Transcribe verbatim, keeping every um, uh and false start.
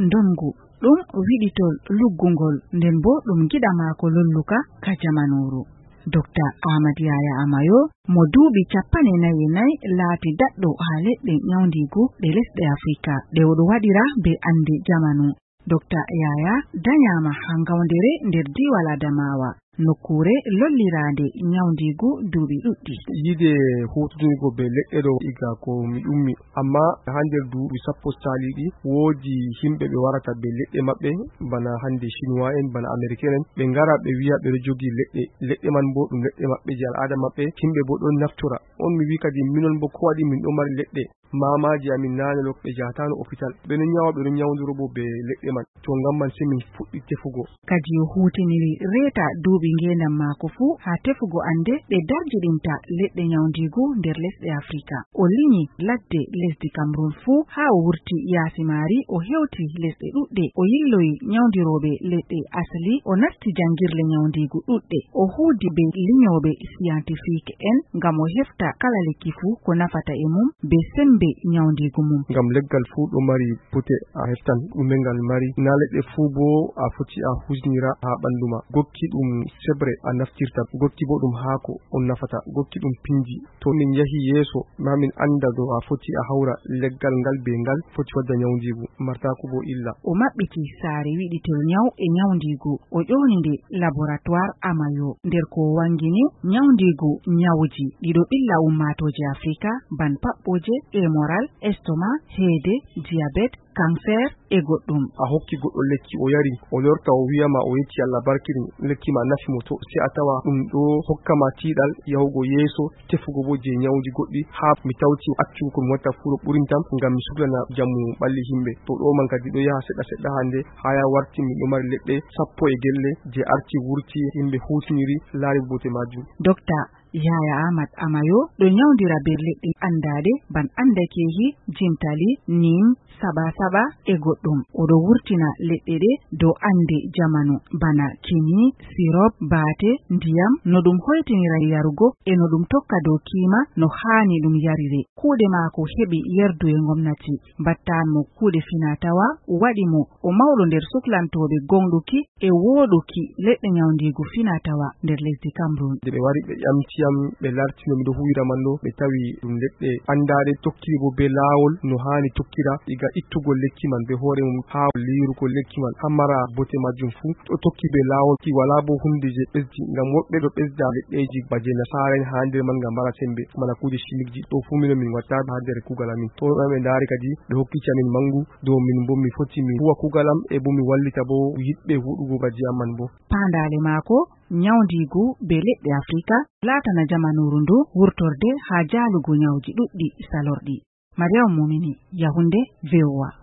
ndonngu, ɗum wiɗitol luggungol, nden boo ɗum giɗa maako lolluka ka jamanuuru. Dokta Ahmad Yaya Amayo, mo duuɓi cappanɗe nayi e nayi, laati daɗɗo haa leɗɗe nyawndiigu ɗe lesɗe Afrika, ɗe o ɗo waɗira bee annde jamanu. Dokta Yaya danyaama haa ngawndere nder diiwal Adamawa, nokkuure lolliraande nyawndiigu duuɓi ɗuɗɗi. Yiɗde huuwtodingo bee leɗɗe ɗo iga ko mi ummi, ammaa haa nder duuɓi sappo saaliiɗi, woodi yimɓe ɓe warata bee leɗɗe maɓɓe, bana hannde Chinois en, bana Américain en, ɓe ngara ɓe wi'a ɓe ɗo jogi leɗɗe. Leɗɗe man boo ɗum leɗɗe maɓɓe jey al'aada maɓɓe, yimɓe boo ɗon naftora. On mi wi'i kadi minon boo ko waɗi min ɗo mari leɗɗe. Maamaaji amin naane ɗo ɓe njahataano opital. Ɓe ɗon nyawa, ɓe ɗon nyawndoro boo bee leɗɗe man. To ngam man sey min fuɗɗi tefugo. Kadi o huuwtiniri reeta duuɓi ngeendam maako fuu haa tefugo annde ɗe darjiɗinta leɗɗe nyawndiigu nder lesɗe Afrika. O linyi ladde lesdi Cameroun fuu haa o wurti yaasi maari, o hewti lesɗe ɗuɗɗe. O yilloyi nyawndirooɓe leɗɗe asli, o nasti janngirle nyawndiigu ɗuɗɗe. O huuwdi bee linyooɓe scientifique en ngam o hefta kala lekki fuu ko nafata e mum bee semmbe nyawndiigu mum. Ngam leggal fuu ɗo mari bote a heftan ɗume ngal mari. Naa leɗɗe fuu boo a foti a huuwtinira haa ɓanndu ma. Gokki ɗum seɓre a naftirta, gokki boo ɗum haako on nafata, gokki ɗum pinndi. To min njahi yeeso, maa min annda dow a foti a hawra leggal ngal bee ngal foti wadda nyawndiigu, martaako boo illa. O maɓɓiti saare wiɗitol nyaw e nyawndiigu, o ƴooni nde Laboratoire Amayo. Nder ko o waŋgini, nyawndiigu nyawuji ɗi ɗo ɓilla ummaatooje Afrika, ban paɓɓooje, hémorragie, estomac, heede, diabète, cancer e goɗɗum. A hokki goɗɗo lekki, o yari, o lorta, o wi'a ma o yetti Allah barkini, lekki ma nafi mo, to sey a tawa ɗum ɗo hokka ma tiiɗal yahugo yeeso, tefugo boo jey nyawji goɗɗi, haa mi tawti accugo ko mi watta fuu ɗo ɓurintam, ngam mi suklana njamu ɓalli yimɓe. To ɗo man kadi ɗo yaha seɗɗa seɗɗa hannde, haa ya warti min ɗo mari leɗɗe sappo e gelle jey arti wurti, yimɓe huuwtiniri, laari bote maajum. Dokta Yahaya Ahmad Amayo ɗo nyawndira bee leɗɗe anndaaɗe ban anndakeehi, jimtali, nim, saɓa-saɓa e goɗɗum. O ɗo wurtina leɗɗe ɗe dow annde jamanu, bana kini, sirop, baate, ndiyam, no ɗum hoytinira yarugo e no ɗum tokka dow kiima no haani ɗum yarire. Kuuɗe maako heɓi yerdu e ngomnati, mbattaan mo kuuɗe finaa-tawaa, waɗi mo o mawɗo nder suklantooɓe gooŋɗuki e wooɗuki leɗɗe nyawndiigu finaa-tawaa nder lesdi Cameroun. Nde ɓe wari ɓe ƴamti yam, ɓe laarti no mi ɗo huuwira man ɗo, ɓe tawi ɗum leɗɗe anndaaɗe, tokki bo bee laawol no haani tokkira, iga ittugol lekki man bee hoore mum, haa liirugol lekki man, haa mara bote majjum fuu. Ɗo tokki bee laawol ki walaa bo huunde je ɓesdi, ngam woɗɓe ɗo ɓesda leɗɗeeji ba je nasaara'en haa nder man ngam mara sembe, bana kuuje chimique ji. Ɗo fuu minon min watta haa nder kuugal amin. To ɓe ndaari kadi, ɓe hokkiti amin mangu dow min bo mi foti mi huuwa kuugal am e bo mi wallita bo yiɗɓe huuɗugo ba je am man bo. Paandaale maako, nyawndiigu bee leɗɗe Afrika, laatana jamanuuru ndu wurtorde haa jaalugo nyawji ɗuɗɗi salorɗi. Mariam Mumini, Yaoundé, V O A.